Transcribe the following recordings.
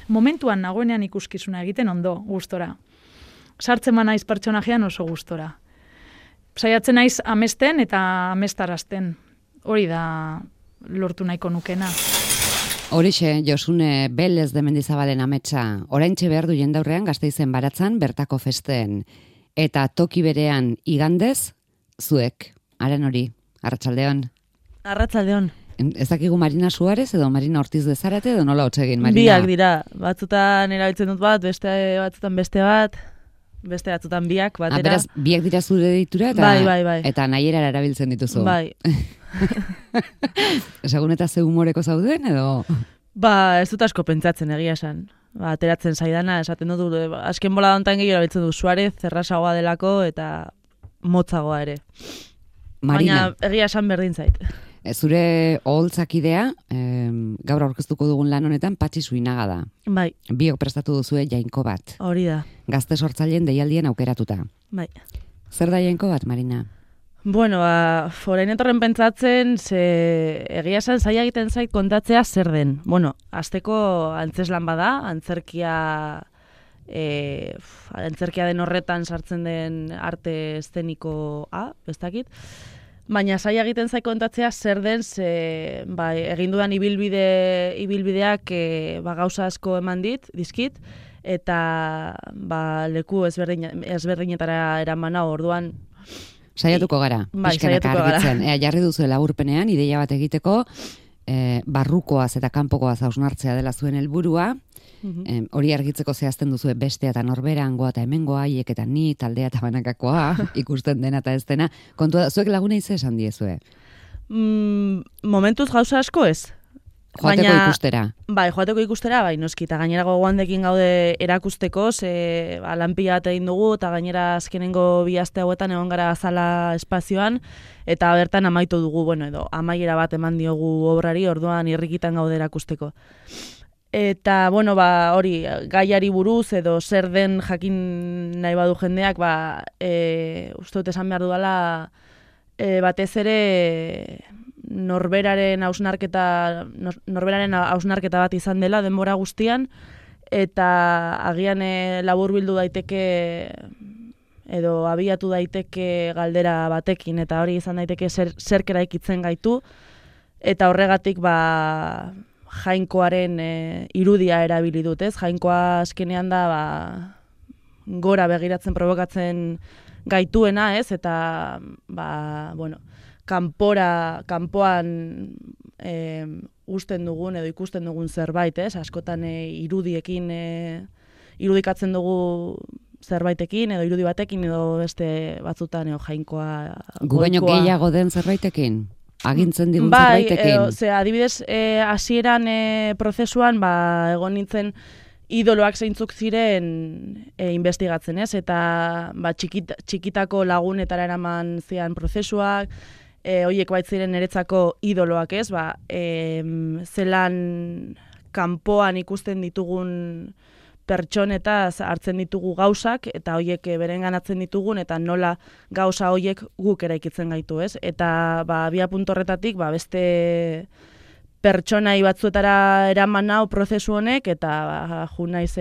momentuan nagoenean ikuskizuna egiten ondo, gustora. Sartzen naiz pertsonajean oso gustora. Saiatzen naiz amesten eta amestarazten. Hori da lortu nahiko nukena. Horixe, Josune Belez de Mendizabalen ametsa, oraintxe behar du jendaurrean Gasteizen Baratzan bertako festen. Eta toki berean igandez, zuek, haren hori, arratsaldeon. Arratsaldeon. Ez dakigu Marina Suarez edo Marina Ortiz de Zarate edo nola hotsegin, Marina? Biak dira, batzutan erabiltzen dut bat, beste batzutan beste bat, beste batzutan biak batera. Beraz, biak dira zure deitura eta, bai. Eta nahierara erabiltzen dituzu. Bai. Esagun eta ze humoreko zauden edo? Ez dut asko pentsatzen egia esan. Ateratzen zaidana, esaten dut, azken bola dontan gehiago erabiltzen du Suarez, errasagoa delako eta motzagoa ere. Marina. Baina egia esan berdin zait. Zure oholtzakidea, gaur aurkeztuko dugun lan honetan Patxi Suinaga da. Bai. Biok prestatu duzue Jainko bat. Hori da. Gazte sortzaileen deialdien aukeratuta. Bai. Zer da Jainko bat, Marina? Bueno, orain etorren pentsatzen, egia esan zaila egiten zait kontatzea zer den. Bueno, hasteko antzeslan bada, antzerkia den horretan sartzen den arte eszenikoa, ez dakit. Baina zaila egiten zait kontatzea zer den, egin dudan ibilbideak gauza asko eman dizkit, eta leku ezberdinetara eraman hau, orduan. Saiatuko gara, pixkanaka argitzen. Jarri duzu laburpenean, ideia bat egiteko, barrukoaz eta kanpokoaz hausnartzea dela zuen helburua, hori argitzeko zehazten duzu bestea eta norberangoa eta hemengoa, haiek eta ni, taldea eta banakakoa, ikusten dena eta ez dena. Kontua, zuek laguna ize esan diezue? Momentuz gauza asko ez. Joateko ikustera. Bai, joateko ikustera, bai, noski, eta gainera gogoandekin gaude erakusteko, lanpila bat egin dugu, eta gainera azkenengo 2 aste hauetan egon gara azala espazioan, eta bertan amaitu dugu, edo amaiera bat eman diogu obrari, orduan irrikitan gaude erakusteko. Eta, hori, gaiari buruz, edo zer den jakin nahi badu jendeak, uste dut esan behar dudala, batez ere norberaren hausnarketa bat izan dela denbora guztian, eta agian laburbildu daiteke edo abiatu daiteke galdera batekin, eta hori izan daiteke zerk eraikitzen gaitu, eta horregatik Jainkoaren irudia erabili dut, ez? Jainkoa azkenean da gora begiratzen provokatzen gaituena, ez? Eta kanpoan usten dugun edo ikusten dugun zerbait, ez? Askotan irudikatzen dugu zerbaitekin edo irudi batekin edo beste batzutan Jainkoa gu baino gehiago den zerbaitekin? Agintzen digun zerbaitekin? Adibidez, hasieran prozesuan egon nintzen idoloak zeintzuk ziren investigatzen, ez? Eta txikitako lagunetara eraman zian prozesuak, horiek baitziren niretzako idoloak, ez? Zelan kanpoan ikusten ditugun pertsonetaz hartzen ditugu gauzak, eta horiek berenganatzen ditugun, eta nola gauza horiek guk eraikitzen gaitu, ez? Eta abia puntu horretatik, beste pertsonai batzuetara eraman nau prozesu honek, eta ju naiz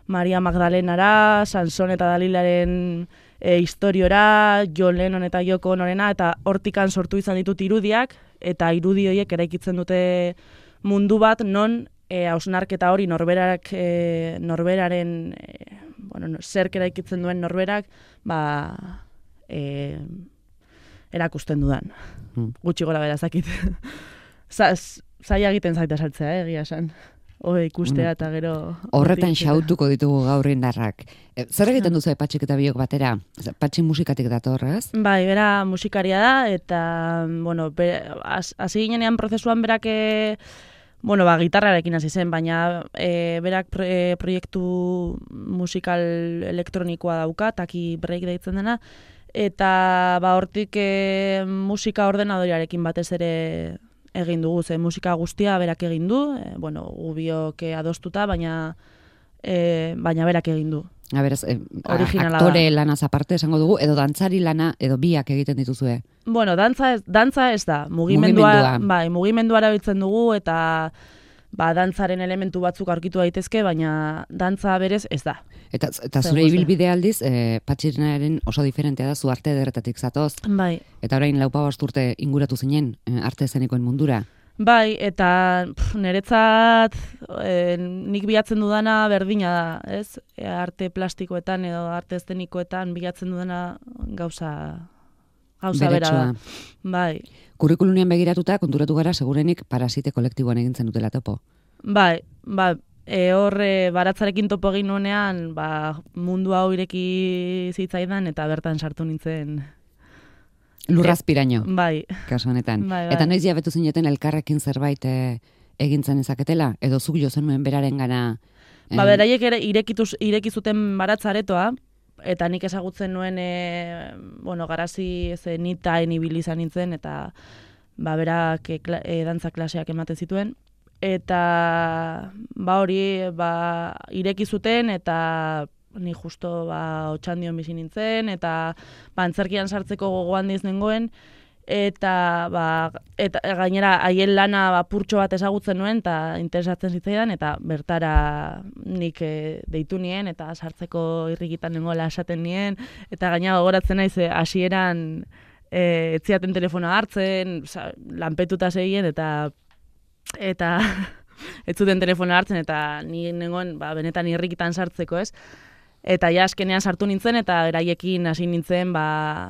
Maria Magdalenara, Sanson eta Dalilaren historiora, John Lennon eta Yoko Onorena, eta hortikan sortu izan ditut irudiak, eta irudi horiek eraikitzen dute mundu bat, non hausnarketa hori norberaren zerk eraikitzen duen norberak erakusten dudan. Gutxi gora bera zakit. Zaila egiten zaita saltzea, egia esan. Ikustea eta gero... Horretan xautuko ditugu gaur indarrak. Zer egiten duzu Patxik eta biok batera? Patxi musikatik dator, ez? Bai, bera musikaria da, eta hasi ginenean prozesuan berak gitarrarekin hasi zen, baina berak proiektu musikal elektronikoa dauka, Taki Break deitzen dena, eta hortik musika ordenadoriarekin batez ere egin dugu, musika guztia berak egin du, gubiok adostuta, baina berak egin du. Aktore lanaz aparte esango dugu, edo dantzari lana, edo biak egiten dituzue? Dantza ez da. Mugimendua erabiltzen dugu, eta dantzaren elementu batzuk aurkitu daitezke, baina dantza berez ez da. Eta zure ibilbide aldiz, Patxirenaren oso diferentea da, zu arte ederretatik zatoz. Bai. Eta orain 4 urte inguratu zinen arte eszenikoen mundura. Bai, eta niretzat nik bilatzen dudana berdina da, ez? Arte plastikoetan edo arte eszenikoetan bilatzen dudana gauza bera da. Bai. Kurrikulunean begiratuta, konturatu gara segurenik Parasite kolektiboan egin zenutela topo. Bai, horre baratzarekin topo egin nuenean, mundu hau ireki zitzaidan eta bertan sartu nintzen. Lurrazpiraino. Bai. Kasu honetan. Bai. Eta noiz jabetu zineten elkarrekin zerbait egintzen ezaketela? Edo zuk jo zenuen beraren gana? Beraiek ere ireki zuten baratzaretoa, eta nik ezagutzen nuen, garazi nitain ibili izan nintzen, eta berak dantza klaseak ematen zituen. Eta hori ireki zuten, eta ni justo Otxandion bizi nintzen, eta antzerkian sartzeko gogoan diz nengoen, eta gainera haien lana purtxo bat ezagutzen nuen, eta interesatzen zitzaidan, eta bertara nik deitu nien, eta sartzeko irrikitan nengoela esaten nien, eta gainera gogoratzen naiz hasieran etziaten telefonoa hartzen, lanpetuta segien, eta ez zuten telefonoa hartzen, eta ni nengoen benetan irrikitan sartzeko, ez? Eta askenean sartu nintzen, eta beraiekin hasi nintzen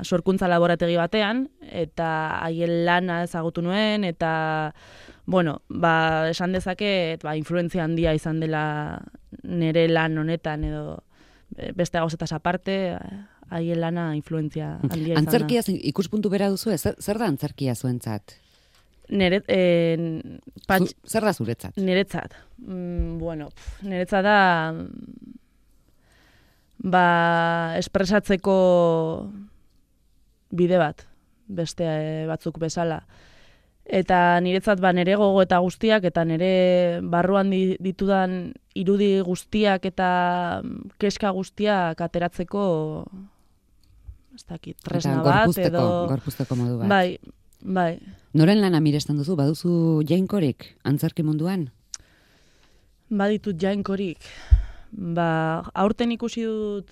sorkuntza laborategi batean, eta haien lana ezagutu nuen, eta, esan dezaket, influentzia handia izan dela nire lan honetan, edo beste gauzetaz aparte, haien lana influentzia handia izan da. Antzerkia ikuspuntu bera duzu, zer da antzerkia zuentzat? Zer da zuretzat? Niretzat. Niretzat da espresatzeko bide bat, beste batzuk bezala. Eta niretzat nire gogo eta guztiak, eta nire barruan ditudan irudi guztiak eta keska guztiak ateratzeko ez dakit, tresna bat edo... Gorpuzteko modu bat. Bai. Noren lana miresten duzu? Baduzu jainkorik antzerki munduan? Baditut jainkorik. Aurten ikusi dut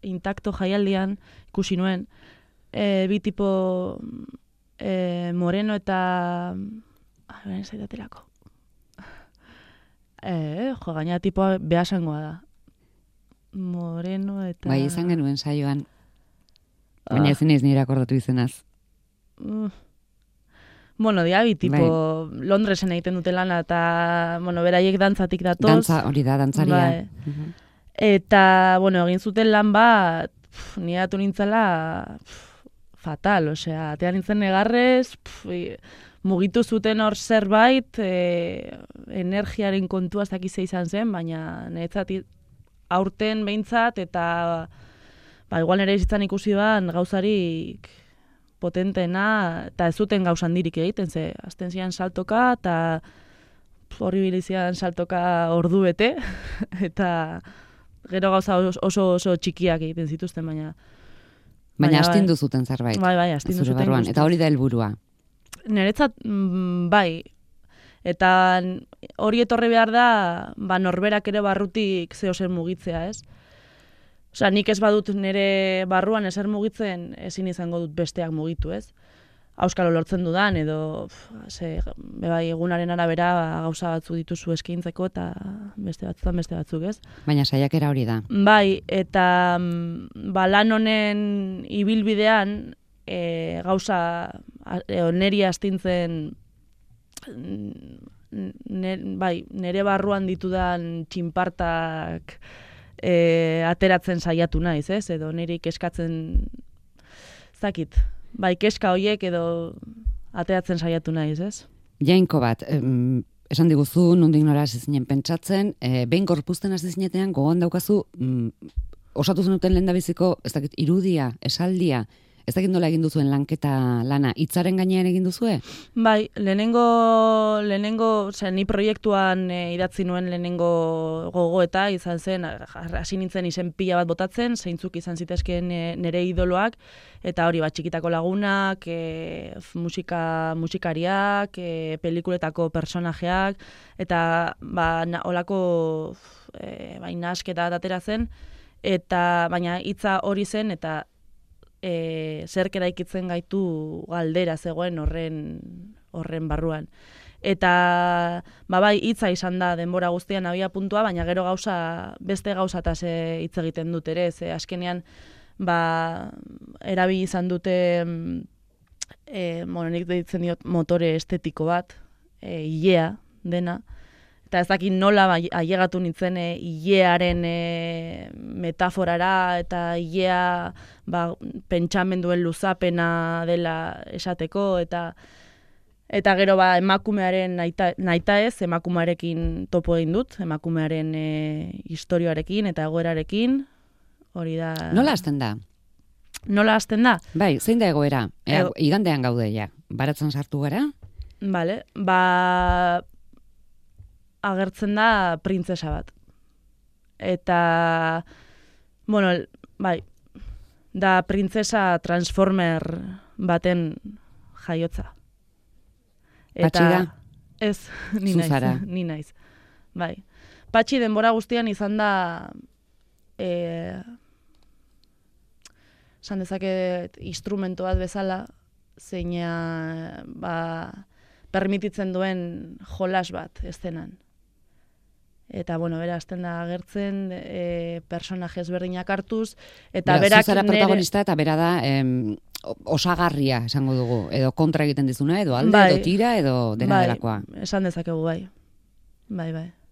Intakto jaialdian, ikusi nuen, bi tipo Moreno eta... Beren zaitatelako. Gaina tipoa behasangoa da. Moreno eta... Bai, izan genuen saioan. Baina ezin ez nire akordatu izenaz. Dia bi tipo Londresen egiten dute lana, eta, beraiek dantzatik datoz. Dantza, hori da, dantzaria. Eta, egin zuten lan bat, nire datu nintzela fatal, atean nintzen negarrez, mugitu zuten hor zerbait, energiaren kontua ez dakize izan zen, baina niretzat aurten behintzat, eta igual nire izitzan ikusi ban gauzarik potentena, eta ez zuten gauzan dirik egiten, ze azten zian saltoka, eta horri bilizian saltoka ordu bete, eta gero gauza oso txikiak egiten zituzten, baina... Baina astindu zuten zerbait. Bai, astindu zuten. Barruan. Eta hori da helburua. Niretzat, bai. Eta hori etorri behar da, norberak ere barrutik zehozer mugitzea, ez? Nik ez badut nire barruan ezer mugitzen, ezin izango dut besteak mugitu, ez? Auskalo lortzen dudan, edo egunaren arabera gauza batzu dituzu eskaintzeko, eta beste batzuk, ez? Baina saiakera hori da. Bai, eta lan honen ibilbidean gauza neri astintzen nire barruan ditudan txinpartak ateratzen saiatu naiz, ez? Edo niri keskatzen zakit. Keska hoiek edo ateratzen saiatu naiz, ez? Jainko bat, esan diguzu, nondik nora hasi zinen pentsatzen, behin gorpuzten hasi zinetean gogoan daukazu, osatu zenuten lehendabiziko, ez dakit, irudia, esaldia, Ez dakit nola egin duzuen lanketa lana, hitzaren gainean egin duzue? Bai, lehenengo, ni proiektuan idatzi nuen lehenengo gogoeta izan zen, hasi nintzen izen pila bat botatzen, zeintzuk izan zitezkeen nire idoloak, eta hori txikitako lagunak, musikariak, pelikuletako personajeak, eta olako nahasketa atera zen, eta baina hitza hori zen, eta zerk eraikitzen gaitu galdera zegoen horren barruan. Eta bai, hitza izan da denbora guztian abia puntua, baina gero beste gauzataz hitz egiten dut ere, ze azkenean erabili izan dute nik deitzen diot motore estetiko bat, ilea dena, eta ez dakit nola ailegatu nintzen ilearen metaforara eta ilea pentsamenduen luzapena dela esateko, eta gero emakumearen nahita ez, emakumearekin topo egin dut, emakumearen istorioarekin eta egoerarekin, hori da... Nola hasten da? Nola hasten da? Bai, zein da egoera? Igandean gaude ja, baratzen sartu gara? Bale, agertzen da printzesa bat. Eta, da printzesa transformer baten jaiotza. Patxi da? Ez, ni naiz. Bai. Patxi denbora guztian izan da esan dezaket instrumento bat bezala, zeina permititzen duen jolas bat eszenan. Eta, bera, azten da agertzen, personaje ezberdinak hartuz, eta berak... Zuzara protagonista eta bera da osagarria, esango dugu, edo kontra egiten dizuna, edo alde, edo tira, edo dena delakoa. Esan dezakegu, bai.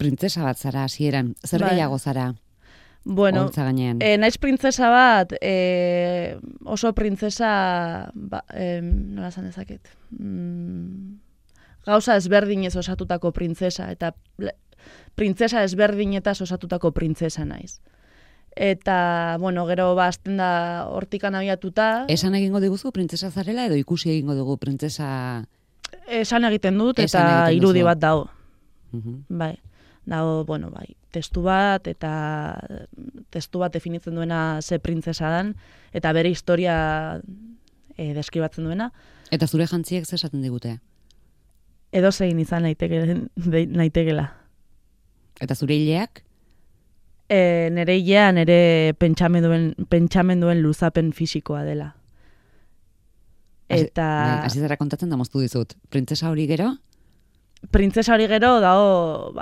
Printzesa bat zara, hasieran, zer gehiago zara? Bueno, naiz printzesa bat, oso printzesa, nola esan dezaket, gauza ezberdinez osatutako printzesa, eta printzesa ezberdinetaz osatutako printzesa naiz. Eta, gero azten da hortikan abiatuta... Esan egingo diguzu printzesa zarela edo ikusi egingo dugu printzesa... Esan egiten dut eta irudi bat dago. Bai, dago, testu bat eta testu bat definitzen duena ze printzesa dan eta bere historia deskribatzen duena. Eta zure jantziek zer esaten digute? Edo zein izan naitekela. Eta zure hileak? Nere hilea nere pentsamenduen luzapen fisikoa dela. Eta... Hasi zara kontatzen da moztu dizut. Printzesa hori gero? Printzesa hori gero dago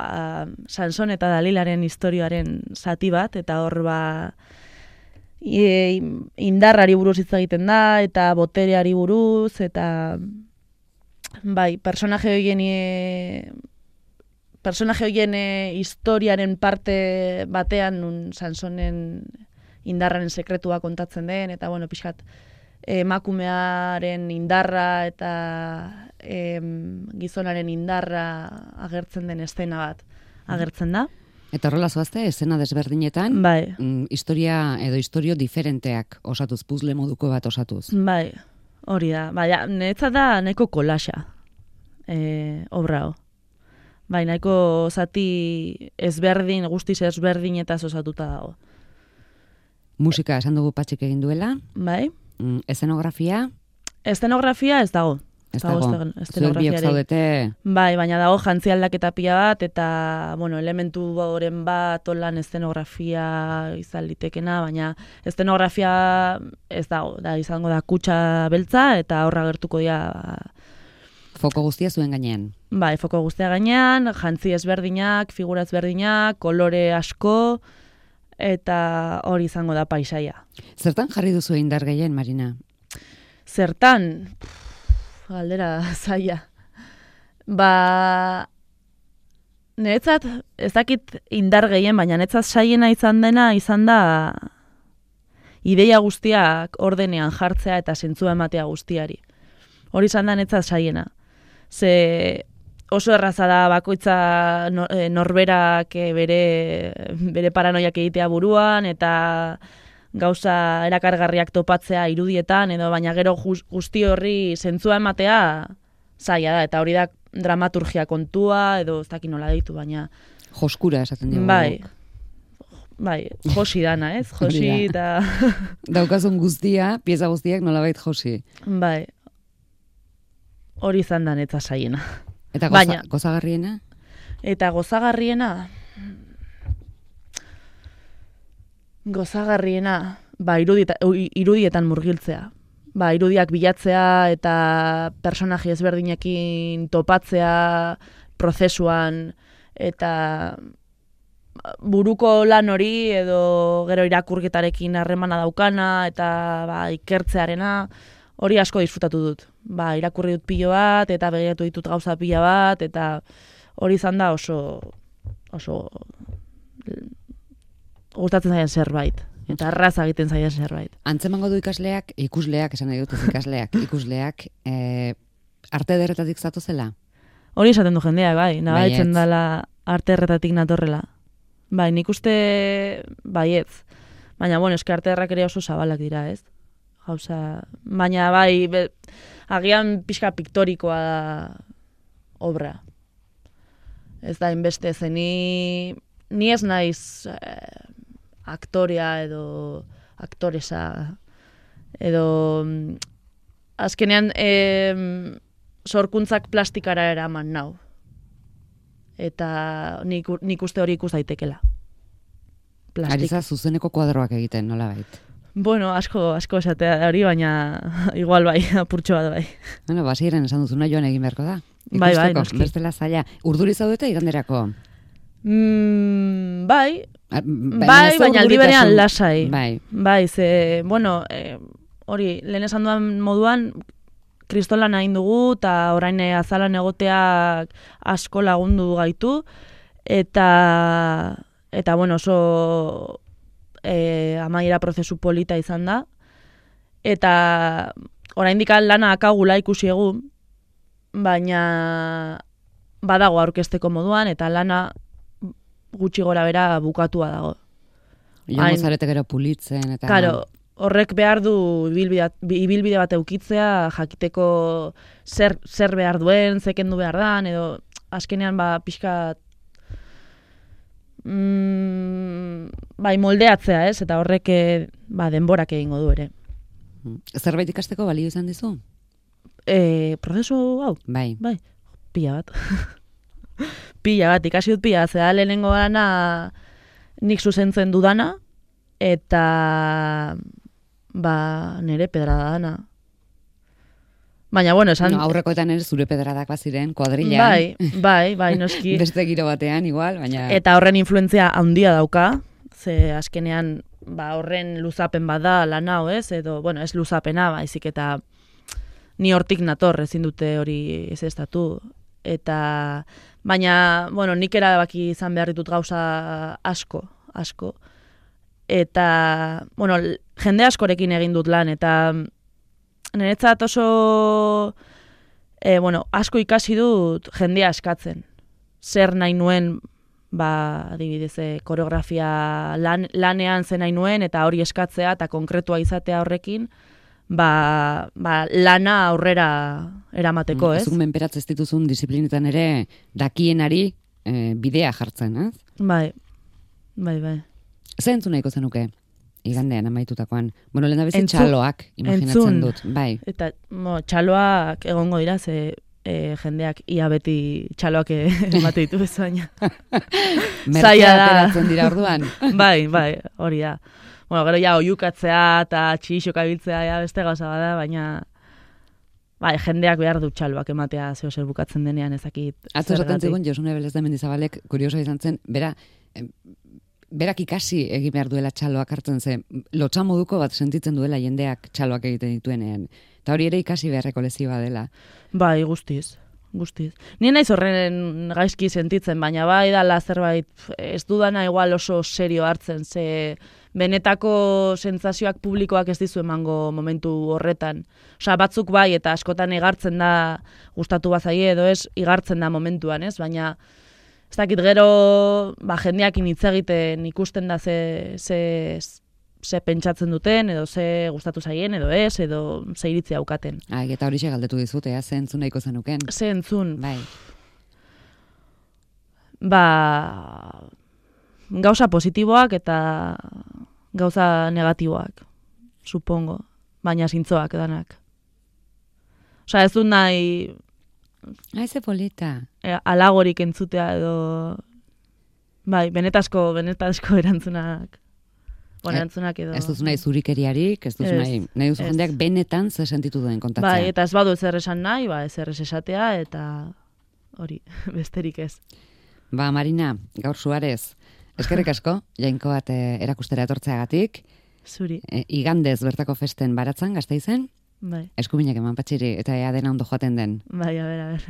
Sanson eta Dalilaren historioaren zati bat, eta hor indarrari buruz hitz egiten da, eta botereari buruz, eta personaje horien historiaren parte batean nun Sansonen indarraren sekretua kontatzen den, eta pixkat emakumearen indarra eta gizonaren indarra agertzen den eszena bat agertzen da. Eta horrela zoazte, eszena desberdinetan, historia edo historio diferenteak osatuz, puzzle moduko bat osatuz. Bai, hori da. Niretzat da nahiko kolaxa obra hau. Bai, nahiko zati ezberdin, guztiz ezberdinetaz osatuta dago. Musika esan dugu Patxik egin duela. Bai. Eszenografia? Eszenografia ez dago. Ez dago. Zuek biok zaudete? Bai, baina dago jantzi aldaketa pila bat, eta, elementu horren bat, olan eszenografia izan litekena, baina eszenografia ez dago. Izango da kutsa beltza, eta horra gertuko dira... Foko guztia zuen gainean? Bai, foko guztia gainean, jantzi ezberdinak, figura ezberdinak, kolore asko, eta hori izango da paisaia. Zertan jarri duzu indar gehien, Marina? Zertan? Galdera zaila. Niretzat, ez dakit indar gehien, baina niretzat saiena izan da ideia guztiak ordenean jartzea eta zentzua ematea guztiari. Hori izan da niretzat saiena. Ze oso erraza da bakoitza norberak bere paranoiak egitea buruan, eta gauza erakargarriak topatzea irudietan, edo baina gero guzti horri zentzua ematea zaila da, eta hori da dramaturgia kontua, edo ez dakit nola deitu, baina... Joskura esaten dugu. Bai, josi dana, ez? Josi eta... Daukazun guztia, pieza guztiak nolabait josi. Bai, hori izan da netza zaiena. Eta gozagarriena? Eta gozagarriena... Gozagarriena, irudietan murgiltzea. Irudiak bilatzea eta personaje ezberdinekin topatzea prozesuan eta buruko lan hori edo gero irakurketarekin harremana daukana eta ikertzearena hori asko disfrutatu dut. Irakurri dut pilo bat eta begiratu ditut gauza pila bat eta hori izan da oso gustatzen zaien zerbait. Eta arraza egiten zaien zerbait. Antzemango du ikusleak, esan nahi dut ikusleak, arte ederretatik zatozela? Hori esaten du jendeak, nabaitzen dela arte ederretatik natorrela. Nik uste baietz. Baina, eske arte ederrak ere oso zabalak dira, ez? Gauza, baina agian pixka piktorikoa da obra. Ez da, inbeste zeni, ni ez naiz aktorea edo aktoresa edo azkenean sorkuntzak plastikara eraman nau. Eta nik uste hori ikus daitekela. Ariza zuzeneko kuadroak egiten, nola bait? Asko esatea hori, baina igual bai, apurtxo bat bai. Basiren esan duzuna joan egin beharko da. Bai, noski. Bestela zaila. Urduri zaudete iganderako? Bai, baina aldi berean lasai. Bai, ze, hori, lehen esan duan moduan, kristolan hain dugu, eta orain azalan egoteak asko lagundu gaitu, eta oso amaiera prozesu polita izan da, eta oraindik lana akagula ikusi egun, baina badago aurkezteko moduan, eta lana gutxi gora bera bukatua dago. Joango zarete gero pulitzen, eta... Karo, horrek behar du ibilbide bat eukitzea, jakiteko zer behar duen, zekendu behar dan, edo azkenean pixka moldeatzea, ez? Eta horrek denborak egingo du ere. Zerbait ikasteko balio izan dizu? Prozesu hau? Bai. Pila bat. Pila bat, ikasi dut pila, zera lehenengo gana nik zuzentzen dudana, eta nire pedrada dana. Baina, esan... Aurrekoetan ere zure pedradak baziren, kuadrilean. Bai, noski. Beste giro batean, igual, baina... Eta horren influentzia handia dauka, ze azkenean horren luzapen bada lan hau, ez? Edo, ez luzapena, baizik eta ni hortik nator, ezin dute hori ezestatu. Eta, baina, nik erabaki izan behar ditut gauza asko. Eta, jende askorekin egin dut lan, eta niretzat oso, asko ikasi dut jendea eskatzen. Zer nahi nuen, adibidez, koreografia lanean zen nahi nuen, eta hori eskatzea, eta konkretua izatea horrekin, lana aurrera eramateko, ez? Zuk menperatz ez dituzun disiplinetan ere dakienari bidea jartzen, ez? Bai. Zer entzun nahiko zenuke? Igandean amaitutakoan. Lehen da bezi txaloak imaginatzen dut. Bai. Eta txaloak egongo dira, ze jendeak ia beti txaloak emate ditu ez baina. Merkea ateratzen dira orduan. Bai, hori da. Gero oiukatzea eta txixok abiltzea beste gauza bada, baina jendeak behar du txaloak ematea zeo zer bukatzen denean ezakit. Atzo esaten zigun Josune Belez de Mendizabalek kurioso izan zen, berak ikasi egin behar duela txaloak hartzen zen, lotxa moduko bat sentitzen duela jendeak txaloak egiten dituenean. Eta hori ere ikasi beharreko lezioa dela. Bai, guztiz. Nien naiz horren gaizki sentitzen, baina dala zerbait ez dudana igual oso serio hartzen, ze benetako sentsazioak publikoak ez dizu emango momentu horretan. Osea, batzuk bai, eta askotan igartzen da, gustatu bazaie edo ez, igartzen da momentuan, ez? Baina, ez dakit gero, jendeakin hitz egiten ikusten da ze ze pentsatzen duten, edo ze gustatu zaien, edo ez, edo ze iritzi daukaten. Eta horixe galdetu dizut, ze entzun nahiko zenuken? Ze entzun? Bai. Gauza positiboak eta gauza negatiboak, supongo, baina zintzoak danak. Osea, ez dut nahi... Ze polita. Alagorik entzutea edo... Bai, benetazko erantzunak. Erantzunak edo... Ez duzu nahi zurikeriarik, ez duzu nahi duzu jendeak benetan ze sentitu duen kontatzea. Bai, eta ez badu ezer esan nahi, ezer ez esatea, eta hori, besterik ez. Marina, gaur Suarez, eskerrik asko, Jainko bat erakustera etortzeagatik. Zuri. Igandez bertako festen baratzan, Gasteizen. Bai. Eskubinak eman patxiri, eta ea dena ondo joaten den. Bai, a ber.